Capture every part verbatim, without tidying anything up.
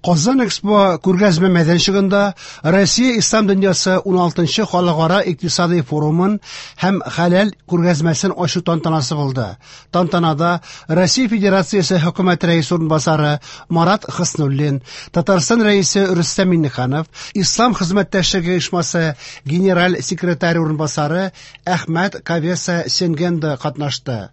Казан Экспо күргәзмә мәйданчыгында Россия Ислам дөньясы уналтынчы халыкара икътисади форумын һәм хәләл күргәзмәсен ачу тантанасы булды. Тантанада Россия Федерациясе хөкүмәт рәисе урынбасары Марат Хөснуллин, Татарстан рәисе Рөстәм Миңнеханов, Ислам хезмәттәшлеге оешмасы генераль секретаре урынбасары Әхмәт Кавеса Сенгенда катнашты.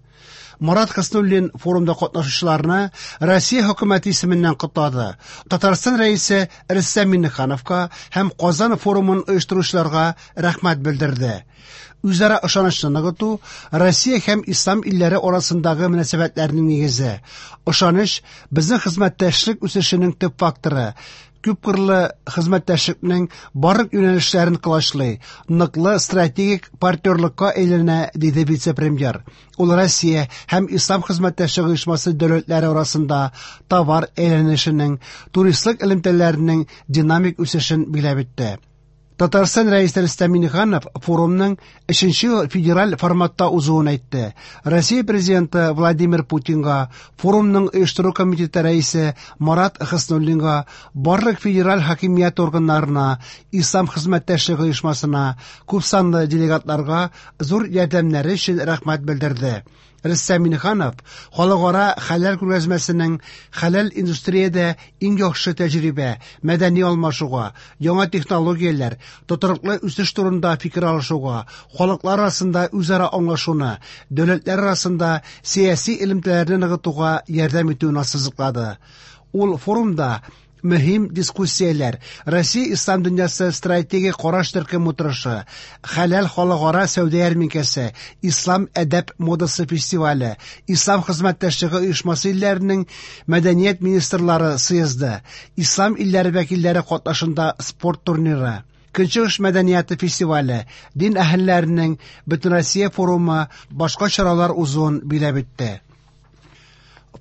Марат Хөснуллин форумда катнашучыларны Россия хөкүмәте исеменнән котлады. Татарстан рәисе Рөстәм Миңнехановка һәм Казан форумын оештыручыларга рәхмәт белдерде. Үзара ышанычны ныгыту Россия һәм ислам илләре арасындагы мөнәсәбәтләрнең нигезе. Ышаныч безнең хезмәттәшлек үсешенең төп факторы. Күпкырлы хезмәттәшлекнең барлык юнәлешләрен колачлый, ныклы стратегик партнерлыкка әйләнә, диде вице-премьер. Ул Россия һәм Ислам хезмәттәшлеге оешмасы дәүләтләре арасында товар әйләнешенең, туристлык элемтәләренең динамик үсешен билгеләп үтте. Татарстан рәисе Рөстәм Миңнеханов форумның өченче федераль форматта узуын әйтте. Россия президенты Владимир Путинга, форумның оештыру комитеты рәисе Марат Хөснуллинга, барлык федераль хакимият органнарына, Ислам хезмәттәшлеге оешмасына, күпсанлы делегатларга зур ярдәмнәре өчен рәхмәт белдерде. Рөстәм Миңнеханов халыкара хәләл күргәзмәсенең хәләл индустриядә иң яхшы тәҗрибә, мәдәни алмашуга, яңа технологияләр, тотрыклы үсеш турында фикер алышуга, халыклар арасында үзара аңлашуны, дәүләтләр арасында сәяси элемтәләрне ныгытуга ярдәм итүен ассызыклады. Ул форумда мөһим дискуссияләр, Россия Ислам дөньясы стратегик караш төркем утырышы, хәләл халыкара сәүдә ярминкәсе, Ислам әдәп модасы фестивале, Ислам хезмәттәшлеге оешмасы илләренең мәдәният министрлары съезды, Ислам илләре вәкилләре катнашында спорт турниры, Көнчыгыш мәдәнияте фестивале, дин әһелләренең Бөтенроссия форумы, башка чаралар узуын билгеләп үтте.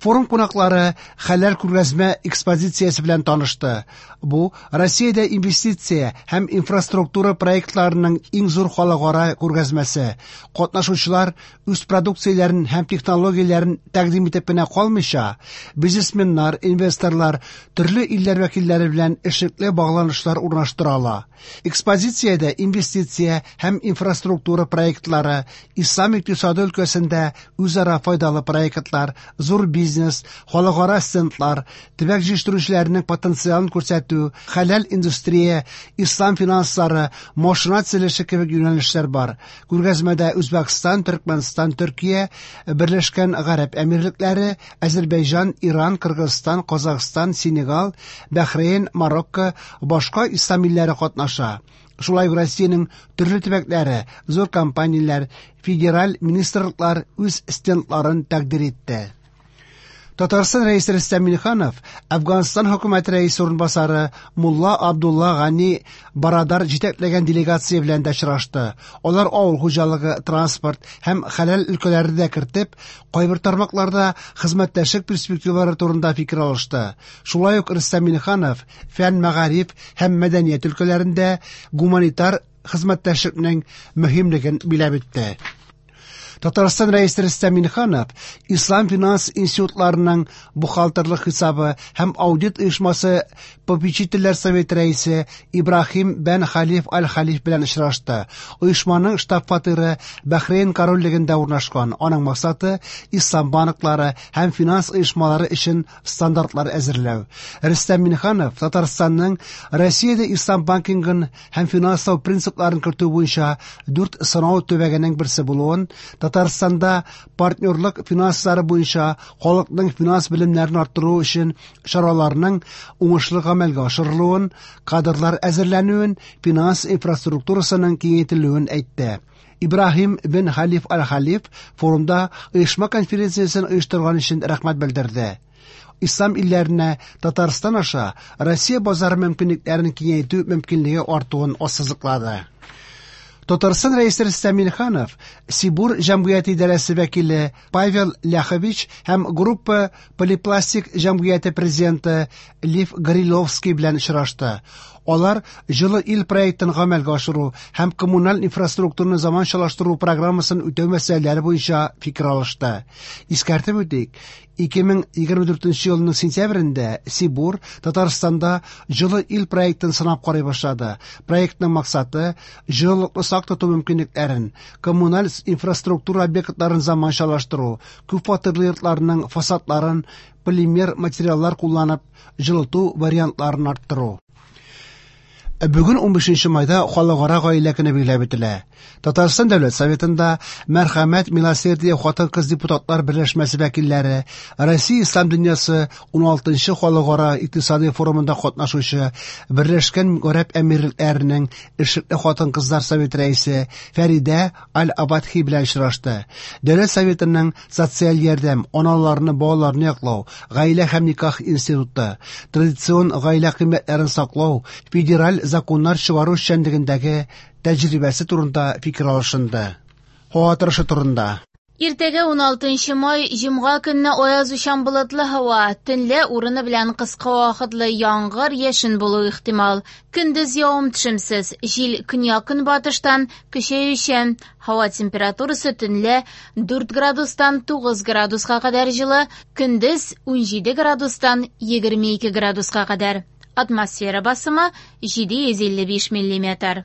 Форум кунаклары хәләл күргәзмә экспозициясе белән танышты. Бу Россиядә инвестиция һәм инфраструктура проектларының иң зур халыкара күргәзмәсе. Катнашучылар үз продукцияләрен һәм технологияләрен тәкъдим итеп кенә калмыйча, бизнесменнар, инвесторлар, төрле илләр вәкилләре белән эшлекле багланышлар урнаштыра ала. Экспозициядә инвестиция һәм инфраструктура проектлары, ислам икътисады өлкәсендә үзара файдалы проектлар, зур бизнес, халыкара стендлар, төбәк җитештерүчеләренең потенциалын күрсәтү, хәләл индустрия, ислам финанслары, машина төзелеше кебек юнәлешләр бар. Күргәзмәдә Үзбәкстан, Төркмәнстан, Төркия, Берләшкән Гарәп Әмирлекләре, Азәрбайҗан, Иран, Кыргызстан, Казахстан, Сенегал, Бәхрейн, Марокко, башка ислам илләре катнаша. Шулай ук Россиянең төрле төбәкләре, зур компанияләр, федераль министрлыклар үз стендларын тәкъдир итте. Татарстан рәисе Рөстәм Миңнеханов Әфганстан хөкүмәте рәисе урынбасары Мулла Абдулла Гани Барадар җитәкләгән делегация белән дә очрашты. Алар авыл хуҗалыгы, транспорт һәм хәләл өлкәләрен дә кертеп, кайбер тармакларда хезмәттәшлек перспективалары турында фикер алышты. Шулай ук Рөстәм Миңнеханов фән, мәгариф һәм мәдәният өлкәләрендә гуманитар хезмәттәшлекнең мөһимлеген билгеләп үтте. Татарстан рәисе Рөстәм Миңнеханов Ислам финанс институтларының бухгалтерлык хисабы һәм аудит оешмасы попечительләр советы рәисе Ибраһим бен Халиф Аль-Халиф белән очрашты. Оешманың штаб-фатиры Бәхрейн корольлегендә урнашкан. Аның максаты ислам банклары һәм финанс оешмалары өчен стандартлар әзерләү. Рөстәм Миңнеханов Татарстанның Россиядә ислам банкингын һәм финанслау принципларын кертү буенча дүрт сынау төбәгенең берсе булуын, Татарстанда партнерлык финанслары буенча халыкның финанс белемнәрен арттыру өчен чараларның уңышлы гамәлгә ашырылуын, кадрлар әзерләнүен, финанс инфраструктурасының киңәйтелүен әйтте. Ибраһим бен Халиф Аль-Халиф форумда оешма конференциясен оештырган өчен рәхмәт белдерде. Ислам илләренә Татарстан аша Россия базары мөмкинлекләрен киңәйтү мөмкинлеге артуын ассызыклады. Татарстан рәисе Рөстәм Миңнеханов Сибур җәмгыяте идарәсе вәкиле Павел Ляхович һәм группа Полипластик җәмгыяте президенты Лев Гориловский белән очрашты. Алар Җылы ил проектын гамәлгә ашыру һәм коммуналь инфраструктураны заманчалаштыру программасын үтәү мәсьәләләре буенча фикер алышты. Искәртеп үтик, ике мең егерме дүртенче елның сентябрендә Сибур Татарстанда Җылы ил проектын сынап карый башлады. Проектның максаты җылылыкны сак тоту мөмкинлекләрен, коммуналь инфраструктура объектларын заманчалаштыру, күп фатирлы йортларның фасадларын полимер материаллар кулланып җылыту вариантларын арттыру. Бүген унбишенче майда Халыкара гаилә көне билгеләп үтелә. Татарстан Дәүләт Советында Мәрхәмәт Милосердие хатын-кыз депутатлар берләшмәсе вәкилләре, Россия Ислам дөньясы уналтынчы халыкара икътисади форумында катнашучы Берләшкән Гарәп Әмирлекләренең эшлекле хатын-кызлар советы рәисе Фәридә Аль-Абадхи белән очрашты. Дәүләт Советының социаль ярдәм, аналарны, балаларны яклау, гаилә һәм никах институты, традицион гаилә кыйммәтләрен саклау, федераль законнар чыгару эшчәнлегендәге тәҗрибәсе турында фикер алышынды. Һава торышы турында. Иртәгә уналтынчы май, җомга көнне аяз учан болытлы һава, төнлә урыны белән кыска вакытлы яңгыр, яшен булуы ихтимал. Көндез явым-төшемсез, җил көньяк-көнбатыштан көчәючән. Һава температурасы төнлә дүрт градустан тугыз градуска кадәр җылы, көндез унҗиде градустан егерме ике градуска кадәр. Атмосфера басымы җиде йөз илле биш миллиметр.